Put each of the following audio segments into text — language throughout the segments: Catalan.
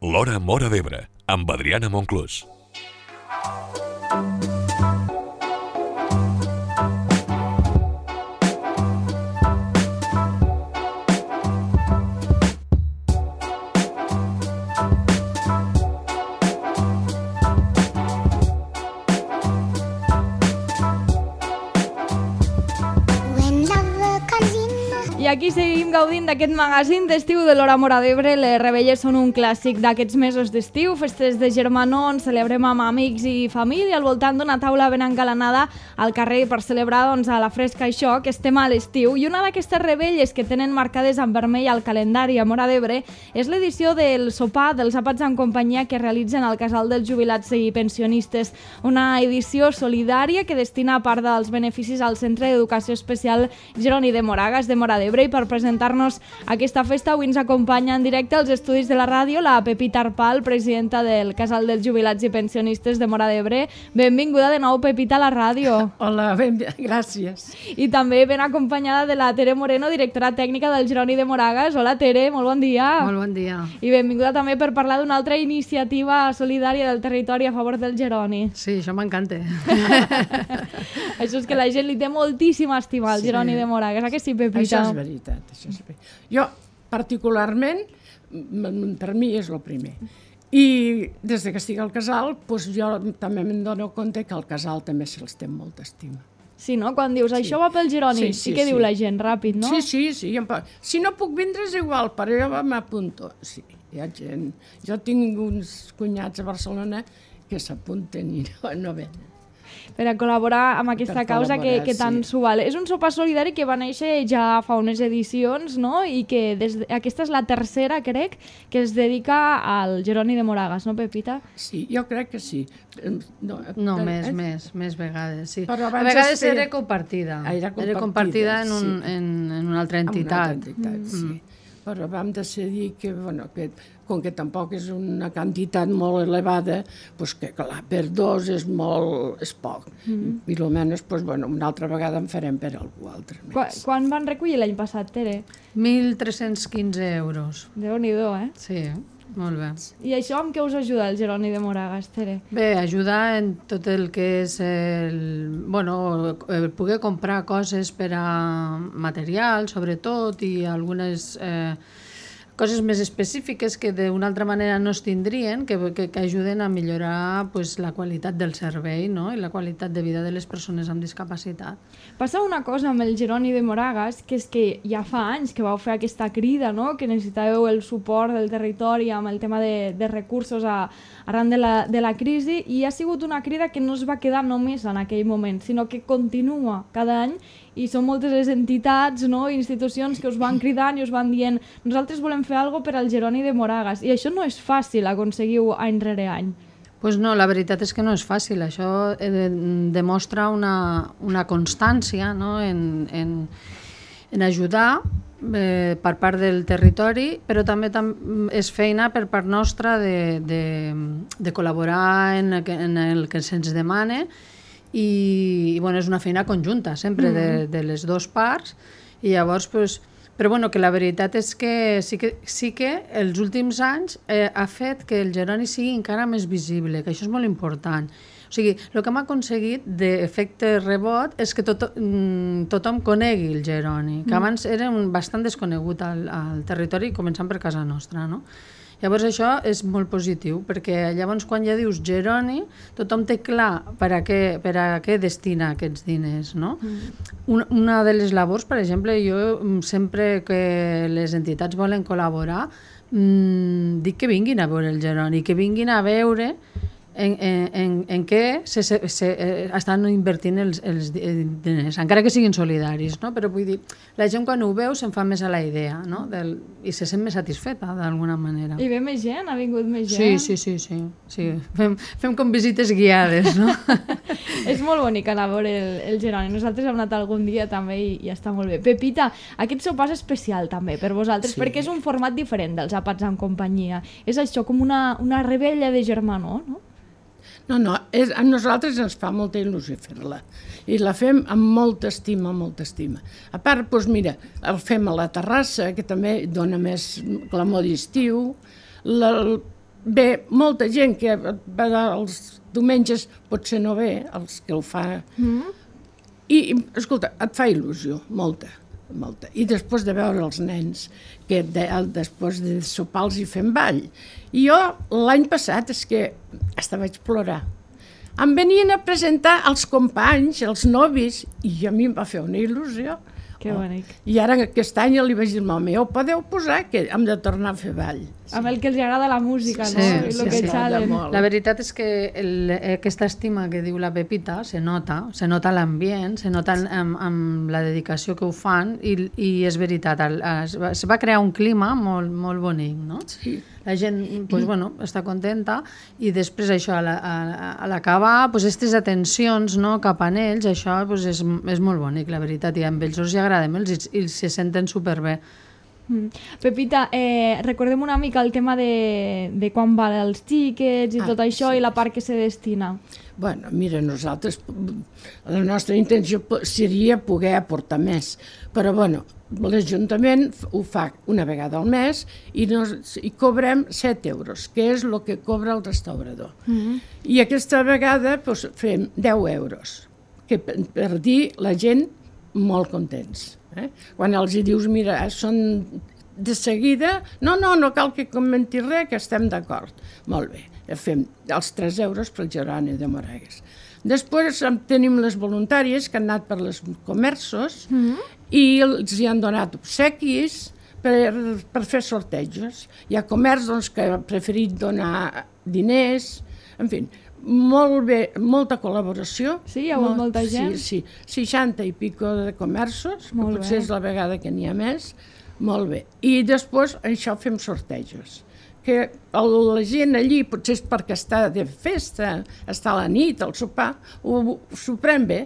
L'Hora Móra d'Ebre, amb Adriana Monclús. I aquí seguim gaudint d'aquest magazín d'estiu de l'Hora Móra d'Ebre. Les Rebelles són un clàssic d'aquests mesos d'estiu, festes de germanor on celebrem amb amics i família al voltant d'una taula ben engalanada al carrer per celebrar a la fresca això, que estem a l'estiu. I una d'aquestes rebelles que tenen marcades en vermell al calendari a Móra d'Ebre és l'edició del sopar dels àpats en companyia que realitzen al Casal dels Jubilats i Pensionistes, una edició solidària que destina part dels beneficis al Centre d'Educació Especial Jeroni de Moragas de Móra d'Ebre. I per presentar-nos aquesta festa avui ens acompanya en directe als estudis de la ràdio la Pepita Arpal, presidenta del Casal dels Jubilats i Pensionistes de Móra d'Ebre. Benvinguda de nou, Pepita, a la ràdio. Hola, gràcies. I també ben acompanyada de la Tere Moreno, directora tècnica del Jeroni de Moragas. Hola, Tere, molt bon dia. Molt bon dia. I benvinguda també per parlar d'una altra iniciativa solidària del territori a favor del Jeroni. Sí, això m'encanta. Això és que la gent li té moltíssima estima al Jeroni de Moragas. A que sí, Pepita? Això és veritat. Jo, particularment, per mi és el primer. I des que estic al casal, jo també me'n dono compte que al casal també se'ls té molta estima. Sí, no? Quan dius això va pel Jeroni, sí que diu la gent ràpid, no? Sí. Si no puc vindre és igual, però jo m'apunto. Sí, hi ha gent. Jo tinc uns cunyats a Barcelona que s'apunten i no venen. Per a col·laborar amb aquesta causa que tant s'ho val. És un sopar solidari que va néixer ja fa unes edicions, no? I que aquesta és la tercera, crec, que es dedica al Jeroni de Moragas, no, Pepita? Sí, jo crec que sí. No, més vegades, sí. Però a vegades era compartida. Era compartida en una altra entitat. Sí. Però vam decidir que, com que tampoc és una quantitat molt elevada, que clar, per dos és poc. I almenys, una altra vegada en farem per algú altre més. Quan van recollir l'any passat, Tere? 1.315 euros. Déu-n'hi-do, eh? Sí, molt bé. I això amb què us ajuda el Jeroni de Moragas, Tere? Bé, ajuda en tot el que és poder comprar coses per a material, sobretot, i algunes coses més específiques que d'una altra manera no es tindrien, que ajuden a millorar la qualitat del servei, no? I la qualitat de vida de les persones amb discapacitat. Passa una cosa amb el Jeroni de Moragas, que és que ja fa anys que vau fer aquesta crida, no? Que necessitàveu el suport del territori amb el tema de recursos arran de la crisi, i ha sigut una crida que no es va quedar només en aquell moment, sinó que continua cada any, i són moltes les entitats, no? Institucions que us van cridant i us van dient nosaltres volem fer alguna cosa per al Jeroni de Moragas, i això no és fàcil aconseguir any rere any. Doncs no, la veritat és que no és fàcil. Això demostra una constància, no? en ajudar per part del territori, però també és feina per part nostra de col·laborar en el que se'ns demana, i és una feina conjunta sempre de les dues parts, i llavors però que la veritat és que sí que els últims anys ha fet que el Jeroni sigui encara més visible, que això és molt important. O sigui, el que hem aconseguit d'efecte rebot és que tothom conegui el Jeroni, que abans era bastant desconegut al territori, començant per casa nostra, no? Llavors això és molt positiu, perquè llavors quan ja dius Jeroni, tothom té clar per a què destina aquests diners, no? Una de les labors, per exemple, jo sempre que les entitats volen col·laborar, dic que vinguin a veure el Jeroni, que vinguin a veure en què estan invertint els diners, encara que siguin solidaris, no? Però vull dir, la gent quan ho veu se'n fa més a la idea, no? I se sent més satisfeta d'alguna manera. I ve més gent? Ha vingut més gent? Sí. Fem com visites guiades, no? És molt bonic anar a veure el Jeroni. Nosaltres hem anat algun dia també i està molt bé. Pepita, aquest sopar és especial també per vosaltres, perquè és un format diferent dels àpats en companyia. És això, com una rebella de germanor, no? No, a nosaltres ens fa molta il·lusió fer-la, i la fem amb molta estima, molta estima. A part, mira, el fem a la terrassa, que també dona més clamor d'estiu, ve molta gent que va els diumenges, potser no ve, els que el fa. I, escolta, et fa il·lusió, molta. I després de veure els nens, que després de sopar els hi fem ball. I jo, l'any passat, és que hasta vaig plorar. Em venien a presentar els companys, els novis, i a mi em va fer una il·lusió. Que bonic. I ara aquest any li vaig dir, home, ho podeu posar, que hem de tornar a fer ball. Amb el que els agrada la música, no? I el que xalen. La veritat és que aquesta estima que diu la Pepita se nota l'ambient, se nota amb la dedicació que ho fan i és veritat, es va crear un clima molt bonic, no? Sí. La gent està contenta i després això, a l'acabar, aquestes atencions cap a ells, això és molt bonic, la veritat, i amb ells els agrada molt i se senten superbé. Pepita, recordem una mica el tema de quan val els tiquets i tot això i la part que se destina. Bueno, mira, nosaltres, la nostra intenció seria poder aportar més, però bueno, l'Ajuntament ho fa una vegada al mes i cobrem 7 euros, que és el que cobra el restaurador. I aquesta vegada fem 10 euros, que per dir la gent molt contents. Quan els dius, mira, són de seguida, no cal que comenti res, que estem d'acord. Molt bé, fem els 3 euros pel Jeroni de Moragues. Després tenim les voluntàries que han anat per els comerços i els hi han donat obsequis per fer sortejos. Hi ha comerç que ha preferit donar diners, en fi, molt bé, molta col·laboració. Sí, hi ha hagut molta gent? Sí, 60 i pico de comerços, que potser és la vegada que n'hi ha més. Molt bé. I després això fem sortejos. Que la gent allí, potser és perquè està de festa, està a la nit, al sopar, s'ho pren bé.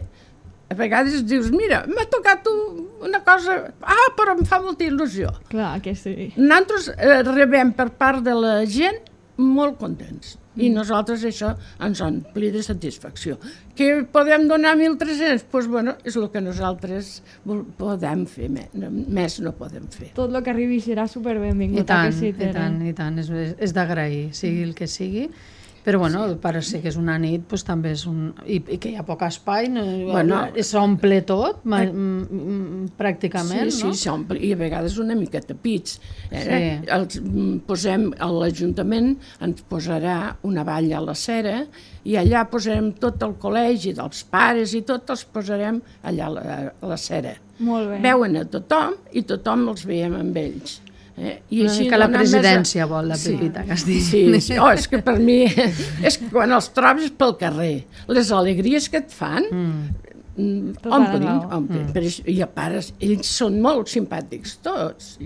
A vegades dius, mira, m'ha tocat una cosa, però em fa molta il·lusió. Clar que sí. Nosaltres rebem per part de la gent molt contents. I nosaltres això ens ompli de satisfacció. Que podem donar 1.300? Doncs bueno, és el que nosaltres podem fer, més no podem fer. Tot el que arribi serà superbenvingut. I tant, és d'agrair, sigui el que sigui. Però bueno, per ser que és una nit, doncs també és i que hi ha poc espai, s'omple tot, pràcticament, no? Sí, s'omple, i a vegades una mica tapits. Posem, a l'Ajuntament ens posarà una valla a la cera i allà posarem tot el col·legi dels pares i tot els posarem allà a la cera. Molt bé. Veuen a tothom i tothom els veiem amb ells. Una mica la presidència vol la Pepita que es digui. Sí, és que per mi és que quan els trobes pel carrer, les alegries que et fan omplin. I a pares, ells són molt simpàtics tots.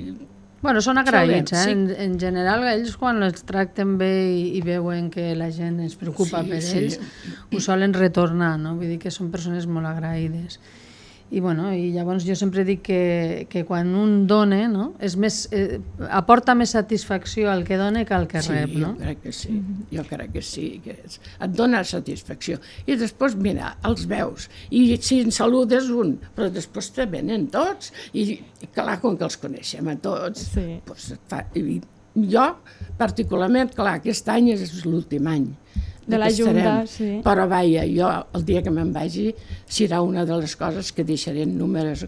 Bueno, són agraïts, en general ells quan els tracten bé i veuen que la gent es preocupa per ells ho solen retornar, no? Vull dir que són persones molt agraïdes. I llavors jo sempre dic que quan un dona, no, aporta més satisfacció al que dona que al que rep, no? Jo crec que sí, que et dona satisfacció. I després, mira, els veus, i si en saludes un, però després te venen tots, i clar, com que els coneixem a tots, jo, particularment, clar, aquest any és l'últim any de la Junta, sí. Però vaja, jo el dia que me'n vagi serà una de les coses que deixaré en números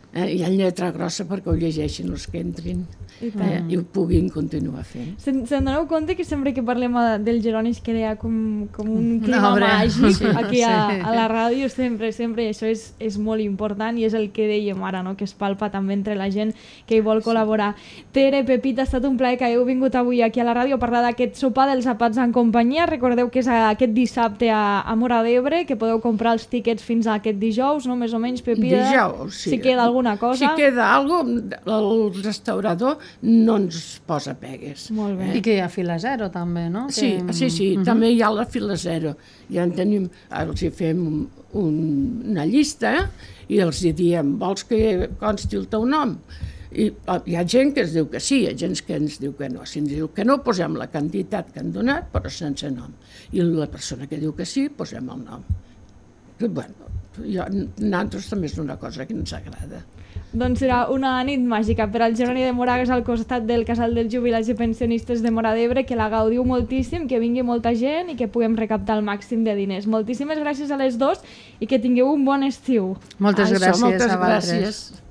i en lletra grossa perquè ho llegeixin els que entrin i ho puguin continuar fent. Se'n doneu compte que sempre que parlem del Jeroni es crea com un clima màgic aquí a la ràdio, sempre, i això és molt important i és el que dèiem ara, no? Que es palpa també entre la gent que hi vol col·laborar. Tere, Pepita, ha estat un plaer que heu vingut avui aquí a la ràdio a parlar d'aquest sopar dels Àpats en companyia. Recordeu que és aquest dissabte a Móra d'Ebre, que podeu comprar els tiquets fins a aquest dijous, no? Més o menys, Pepita. Dijous, sí. Si queda alguna cosa. Si queda alguna cosa, el restaurador no ens posa pegues. Molt bé. I que hi ha fila zero també, no? Sí, també hi ha la fila zero. Ja en tenim, els hi fem una llista i els hi diem, vols que consti el teu nom? I hi ha gent que ens diu que sí, hi ha gent que ens diu que no. Si ens diu que no, posem la quantitat que han donat, però sense nom. I la persona que diu que sí, posem el nom. Bueno, nosaltres també és una cosa que ens agrada. Doncs serà una nit màgica per al Geroni de Moragas al costat del Casal dels Jubilats i Pensionistes de Móra d'Ebre, que la gaudiu moltíssim, que vingui molta gent i que puguem recaptar el màxim de diners. Moltíssimes gràcies a les dos i que tingueu un bon estiu. Moltes gràcies moltes a vosaltres. gràcies.